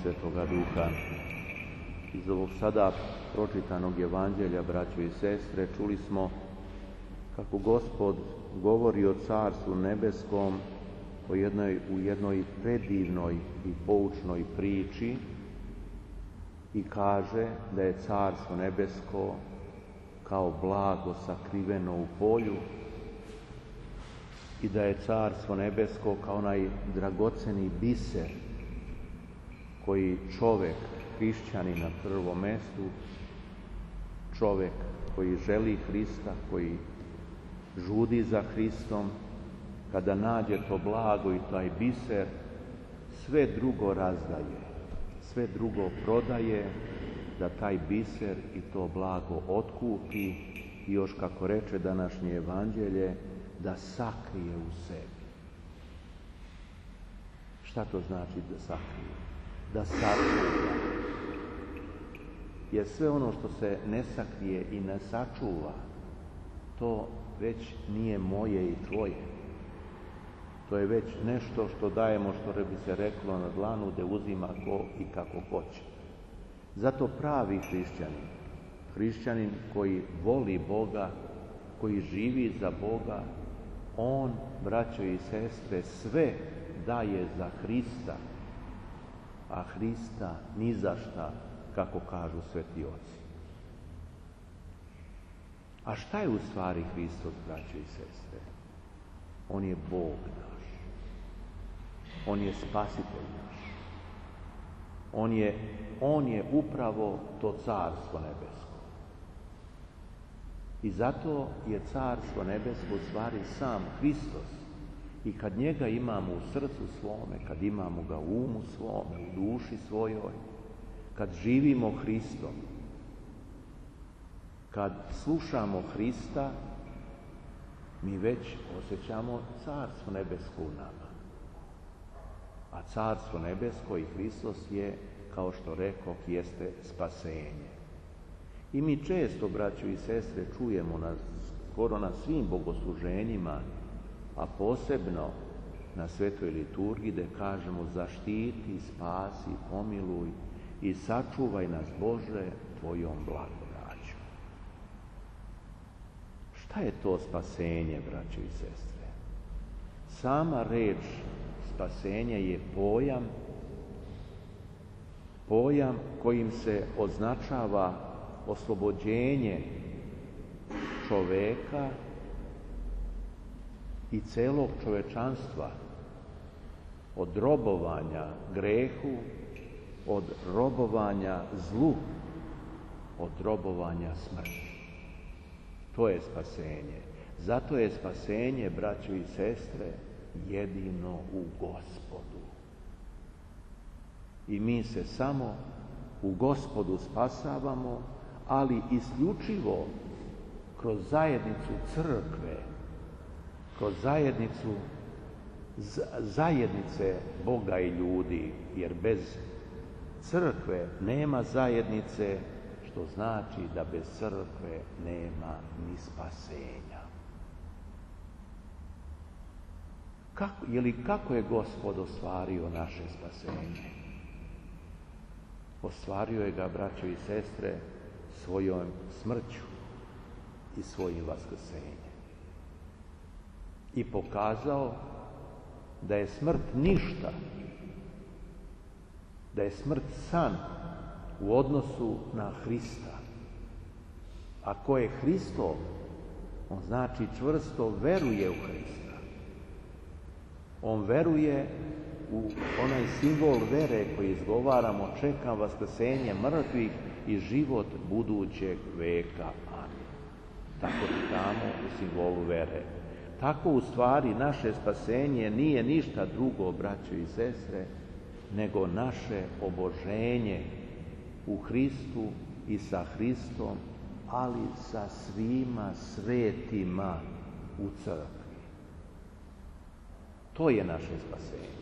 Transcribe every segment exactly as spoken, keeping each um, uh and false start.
Svetoga Duha. Iz ovog sada pročitanog evanđelja, braćo i sestre, čuli smo kako Gospod govori o Carstvu nebeskom o jednoj, u jednoj predivnoj i poučnoj priči i kaže da je Carstvo nebesko kao blago sakriveno u polju i da je Carstvo nebesko kao onaj dragoceni biser koji čovek, hrišćanin na prvom mestu, čovek koji želi Hrista, koji žudi za Hristom, kada nađe to blago i taj biser, sve drugo razdaje, sve drugo prodaje, da taj biser i to blago otkupi i još, kako reče današnje evanđelje, da sakrije u sebi. Šta to znači da sakrije? Da sačuva. Jer sve ono što se ne sakrije i ne sačuva, to već nije moje i tvoje. To je već nešto što dajemo, što bi se reklo na dlanu, da uzima ko i kako hoće. Zato pravi hrišćanin, hrišćanin koji voli Boga, koji živi za Boga, on, braćo i sestre, sve daje za Hrista, a Hrista ni za šta, kako kažu sveti oci. A šta je u stvari Hristos, braćo i sestre? On je Bog naš. On je Spasitelj naš. On je, on je upravo to Carstvo nebesko. I zato je Carstvo nebesko u stvari sam Hristos. I kad njega imamo u srcu svome, kad imamo ga u umu svome, u duši svojoj, kad živimo Hristom, kad slušamo Hrista, mi već osjećamo Carstvo nebesko u nama. A Carstvo nebesko i Hristos je, kao što rekoh, jeste spasenje. I mi često, braćo i sestre, čujemo na, skoro na svim bogosluženjima, a posebno na svetoj liturgiji, da kažemo: zaštiti, spasi, pomiluj i sačuvaj nas, Bože, tvojom blagodaću. Šta je to spasenje, braćo i sestre? Sama reč spasenje je pojam, pojam kojim se označava oslobođenje čoveka i celog čovečanstva od robovanja grehu, od robovanja zlu, od robovanja smrti. To je spasenje. Zato je spasenje, braćo i sestre, jedino u Gospodu. I mi se samo u Gospodu spasavamo, ali isključivo kroz zajednicu crkve, kroz zajednicu zajednice Boga i ljudi, jer bez crkve nema zajednice, što znači da bez crkve nema ni spasenja. Kako, je li kako je Gospod ostvario naše spasenje? Ostvario je ga, braćo i sestre, svojom smrću i svojim vaskrsenjem. I pokazao da je smrt ništa, da je smrt san u odnosu na Hrista. A ko je Hristov, on znači čvrsto veruje u Hrista. On veruje u onaj simbol vere koji izgovaramo: čekam vaskrsenje mrtvih i život budućeg veka. Amin. Tako čitamo u simbolu vere. Tako u stvari naše spasenje nije ništa drugo, braćo i sestre, nego naše oboženje u Hristu i sa Hristom, ali sa svima svetima u crkvi. To je naše spasenje.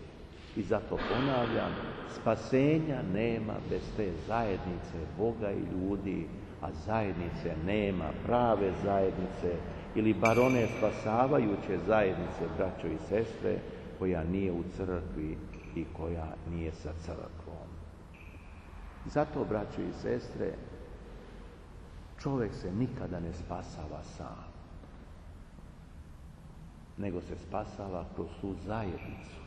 I zato ponavljam, spasenja nema bez te zajednice Boga i ljudi, a zajednice nema, prave zajednice, ili bar one spasavajuće zajednice, braćo i sestre, koja nije u crkvi i koja nije sa crkvom. Zato, braćo i sestre, čovjek se nikada ne spasava sam, nego se spasava kroz tu zajednicu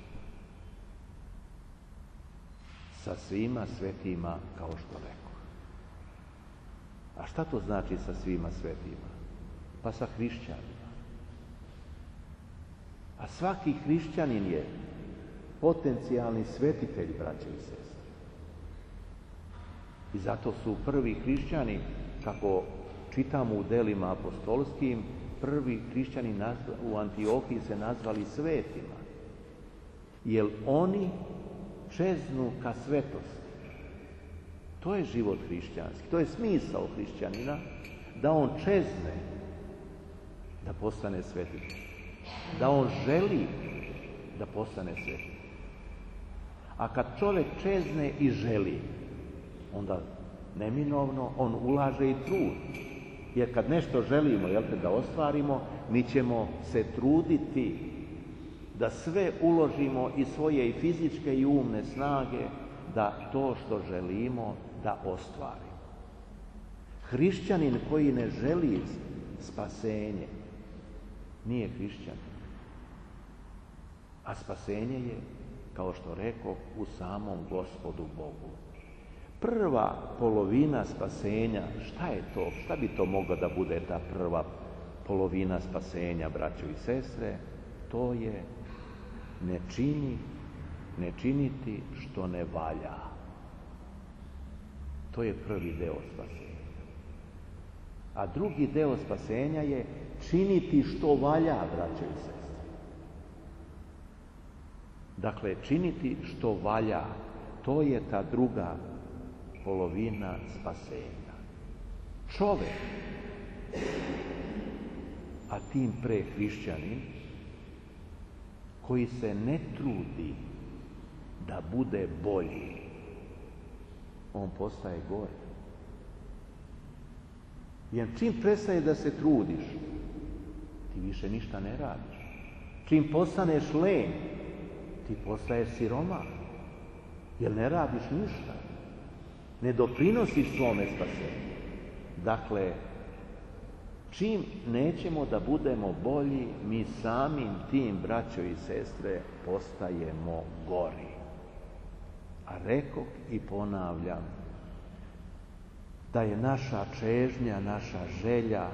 sa svima svetima, kao što rekao. A šta to znači sa svima svetima? Pa sa hrišćanima. A svaki hrišćanin je potencijalni svetitelj, braće i sestre. I zato su prvi hrišćani, kako čitamo u delima apostolskim, prvi hrišćani u Antiohiji se nazvali svetima. Jer oni čeznu ka svetosti. To je život hrišćanski, to je smisao hrišćanina, da on čezne da postane svetitelj, da on želi da postane svetitelj. A kad čovjek čezne i želi, onda neminovno on ulaže i trud. Jer kad nešto želimo, jel te, da ostvarimo, mi ćemo se truditi da sve uložimo i svoje i fizičke i umne snage da to što želimo da ostvarimo. Hrišćanin koji ne želi spasenje nije hrišćanin. A spasenje je, kao što rekao, u samom Gospodu Bogu. Prva polovina spasenja, šta je to? Šta bi to mogla da bude ta prva polovina spasenja, braćo i sestre? To je ne čini, ne činiti što ne valja. To je prvi deo spasenja. A drugi deo spasenja je činiti što valja, braćo i sestre. Dakle, činiti što valja, to je ta druga polovina spasenja. Čovek, a tim pre hrišćanin, koji se ne trudi da bude bolji, on postaje gori. Jer čim prestaje da se trudiš, ti više ništa ne radiš. Čim postaneš len, ti postaješ siromah, jer ne radiš ništa. Ne doprinosiš svome spasenju. Dakle, čim nećemo da budemo bolji, mi samim tim, braćo i sestre, postajemo gori. A rekoh i ponavljam da je naša čežnja, naša želja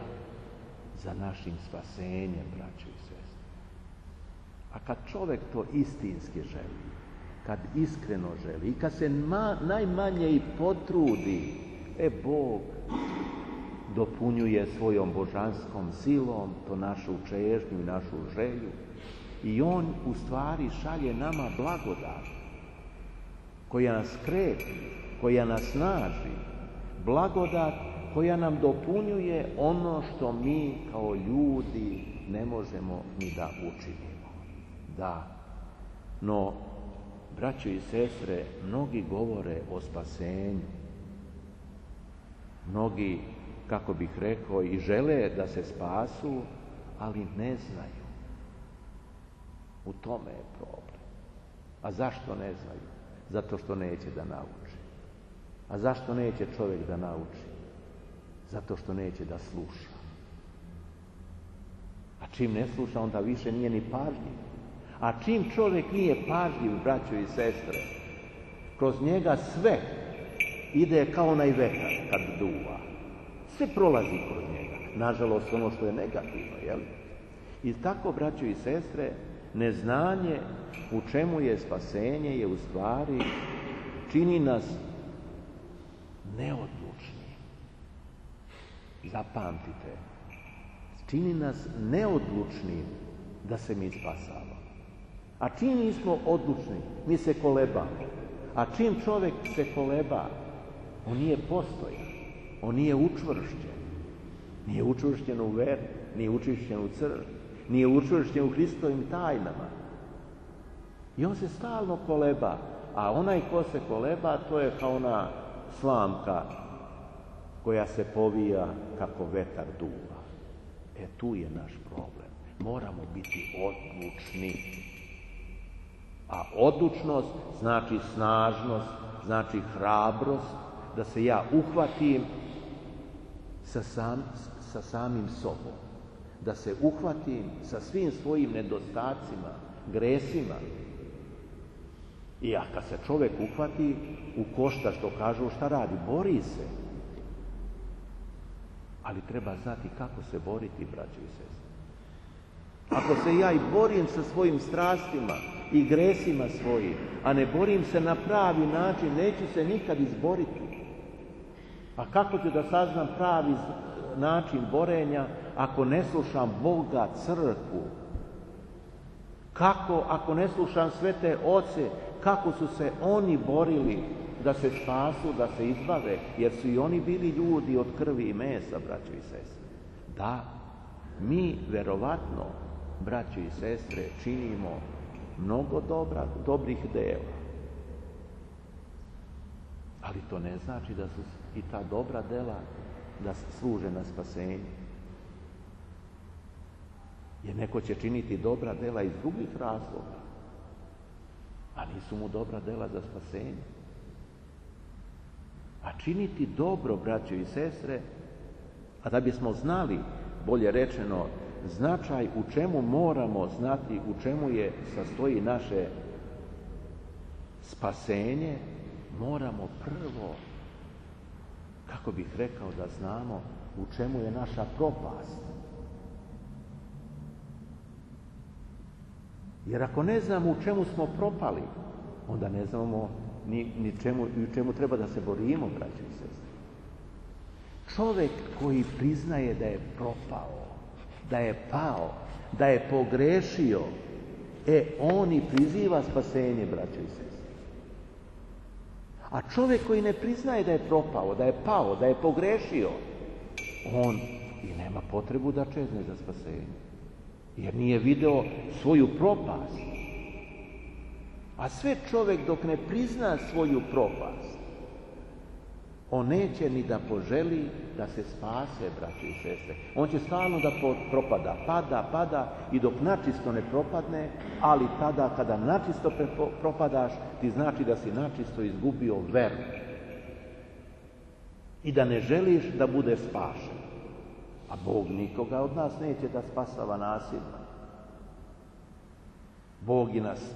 za našim spasenjem, braćo i sestre. A kad čovjek to istinski želi, kad iskreno želi i kad se ma, najmanje i potrudi, e, Bog dopunjuje svojom božanskom silom to našu čežnju i našu želju i on u stvari šalje nama blagodat koja nas krepi, koja nas snaži, blagodat koja nam dopunjuje ono što mi kao ljudi ne možemo ni da učinimo. Da, no, braćo i sestre, mnogi govore o spasenju. Mnogi, kako bih rekao, i žele da se spasu, ali ne znaju. U tome je problem. A zašto ne znaju? Zato što neće da nauči. A zašto neće čovjek da nauči? Zato što neće da sluša. A čim ne sluša, onda više nije ni pažljiv. A čim čovjek nije pažljiv, braćo i sestre, kroz njega sve ide kao onaj vetar kad duva. Sve prolazi kroz njega. Nažalost, ono što je negativno, jel? I tako, braćo i sestre, neznanje u čemu je spasenje je u stvari čini nas neodlučnim. Zapamtite, čini nas neodlučnim da se mi spasavamo. A čim nismo odlučni, mi se kolebamo. A čim čovjek se koleba, on nije postojan, on nije učvršćen. Nije učvršćen u veri, nije učvršćen u crkvi, nije učvršćen u Hristovim tajnama. I on se stalno koleba, a onaj ko se koleba, to je kao ona slamka koja se povija kako vetar duva. E, tu je naš problem. Moramo biti odlučni. A odlučnost znači snažnost, znači hrabrost, da se ja uhvatim sa, sam, sa samim sobom, da se uhvatim sa svim svojim nedostacima, gresima. I a kad se čovjek uhvati u koštac, što kažu, šta radi? Bori se. Ali treba znati kako se boriti, braćo i sestre. Ako se ja i borim sa svojim strastima i gresima svojim, a ne borim se na pravi način, neću se nikad izboriti. A kako ću da saznam pravi način borenja ako ne slušam Boga, crkvu? Kako ako ne slušam svete oce, kako su se oni borili da se spasu, da se izbave, jer su i oni bili ljudi od krvi i mesa, braćo i sestre. Da, mi verovatno, braćo i sestre, činimo mnogo dobra, dobrih dela. Ali to ne znači da su i ta dobra dela da služe na spasenje. Jer neko će činiti dobra dela iz drugih razloga, a nisu mu dobra dela za spasenje. A činiti dobro, braćo i sestre, a da bismo znali, bolje rečeno, značaj u čemu moramo znati, u čemu je sastoji naše spasenje, moramo prvo, kako bih rekao, da znamo u čemu je naša propast. Jer ako ne znamo u čemu smo propali, onda ne znamo ni, ni čemu, u čemu treba da se borimo, braćo i sestre. Čovjek koji priznaje da je propao, da je pao, da je pogrešio, e, on i priziva spasenje, braćo i sestre. A čovjek koji ne priznaje da je propao, da je pao, da je pogrešio, on i nema potrebu da čezne za spasenje. Jer nije video svoju propast. A sve čovjek dok ne prizna svoju propast, on neće ni da poželi da se spase, braći i sestre. On će stalno da propada, pada, pada i dok načisto ne propadne, ali tada kada načisto propadaš, ti znači da si načisto izgubio veru. I da ne želiš da budeš spašen. A Bog nikoga od nas neće da spasava nasilno. Bog i nas,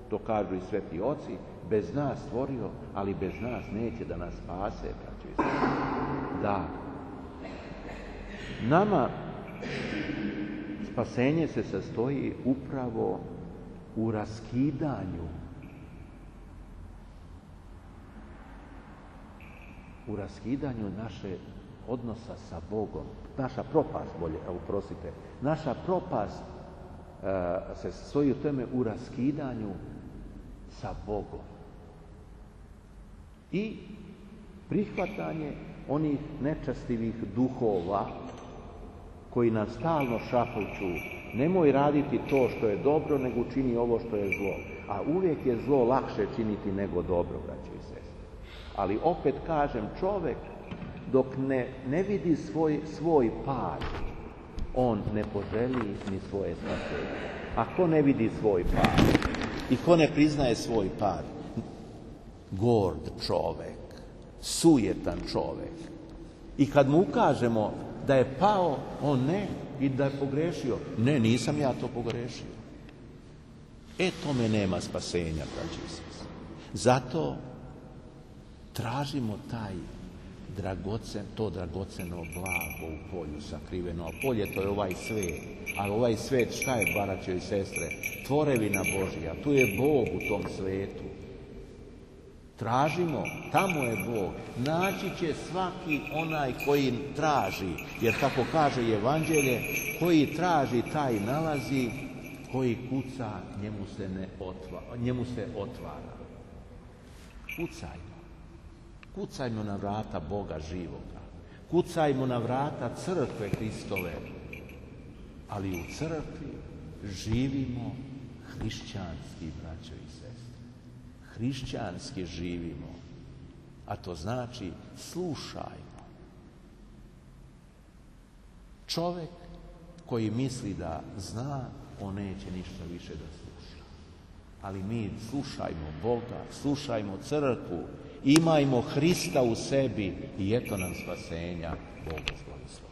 to kažu i sveti oci, bez nas stvorio, ali bez nas neće da nas spase, braćo i sestre. Da. Nama spasenje se sastoji upravo u raskidanju u raskidanju naše odnosa sa Bogom. Naša propast, bolje, oprostite, naša propast uh, se sastoji u tome u raskidanju sa Bogom. I prihvatanje onih nečastivih duhova koji nam stalno šapuću, nemoj raditi to što je dobro, nego čini ovo što je zlo. A uvijek je zlo lakše činiti nego dobro, braćo i sestre. Ali opet kažem, čovjek dok ne, ne vidi svoj, svoj pad, on ne poželi ni svoje spasenje. A ko ne vidi svoj pad i ko ne priznaje svoj pad, gord čovjek, sujetan čovjek. I kad mu ukažemo da je pao, on ne, i da je pogrešio. Ne, nisam ja to pogrešio. E, tome nema spasenja, braći i sestre. Zato tražimo taj dragocen, to dragoceno blago u polju sakriveno. A polje to je ovaj svet. A ovaj svet šta je, braćo i sestre? Tvorevina Božja. Tu je Bog u tom svetu. Tražimo, tamo je Bog. Naći će svaki onaj koji traži. Jer kako kaže Evanđelje, koji traži, taj nalazi, koji kuca, njemu se, ne otvara, njemu se otvara. Kucajmo. Kucajmo na vrata Boga živoga. Kucajmo na vrata crkve Hristove. Ali u crkvi živimo hrišćanski, braćo i sestre. Hrišćanski živimo. A to znači slušajmo. Čovjek koji misli da zna, on neće ništa više da sluša. Ali mi slušajmo Boga, slušajmo crkvu Imajmo Hrista u sebi i eto nam spasenja. Bog vas blagoslovi.